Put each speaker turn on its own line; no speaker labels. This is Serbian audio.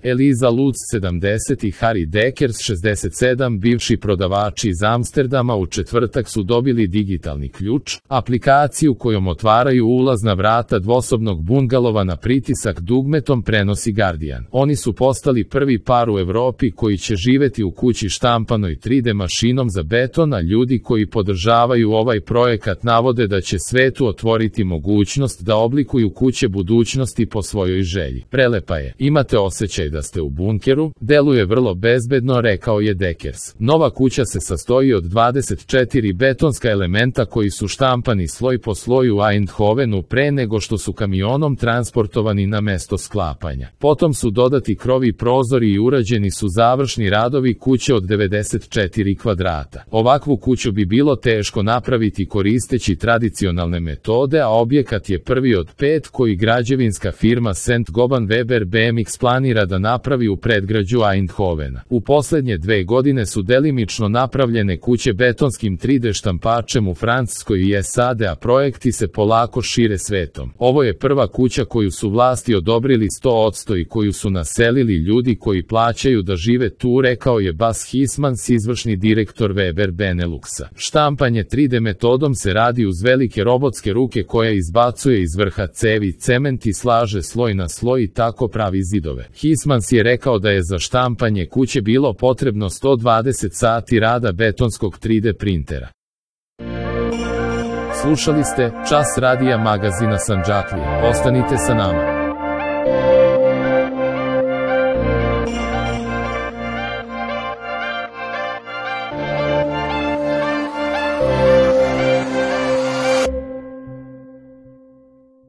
Eliza Lutz 70 i Harry Deckers 67, bivši prodavači iz Amsterdama, u četvrtak su dobili digitalni ključ, aplikaciju kojom otvaraju ulazna vrata dvosobnog bungalova na pritisak dugmetom, prenosi Guardian. Oni su postali prvi par u Evropi koji će živeti u kući štampanoj 3D mašinom za beton, a ljudi koji podržavaju ovaj projekat navode da će svetu otvoriti mogućnost da oblikuju kuće budućnosti po svojoj želji. Prelepa je, imate osjećaj da ste u bunkeru, deluje vrlo bezbedno, rekao je Deckers. Nova kuća se sastoji od 24 betonska elementa koji su štampani sloj po sloju u Eindhovenu pre nego što su kamionom transportovani na mesto sklapanja. Potom su dodati krovi, prozori i urađeni su završni radovi kuće od 94 kvadrata. Ovakvu kuću bi bilo teško napraviti koristeći tradicionalne metode, a objekat je prvi od 5 koji građevinska firma St. Gobain Weber BMX planira da napravi u predgrađu Eindhovena. U poslednje 2 godine su delimično napravljene kuće betonskim 3D štampačem u Francuskoj i SAD, a projekti se polako šire svetom. Ovo je prva kuća koju su vlasti odobrili 100% i koju su naselili ljudi koji plaćaju da žive tu, rekao je Bas Hismans, izvršni direktor Weber Beneluxa. Štampanje 3D metodom se radi uz velike robotske ruke koja izbacuje iz vrha cevi cement i slaže sloj na sloj i tako pravi zidove. Hismans je rekao da je za štampanje kuće bilo potrebno 120 sati rada betonskog 3D printera. Slušali ste Čas radija magazina Sandžaklija. Ostanite sa nama.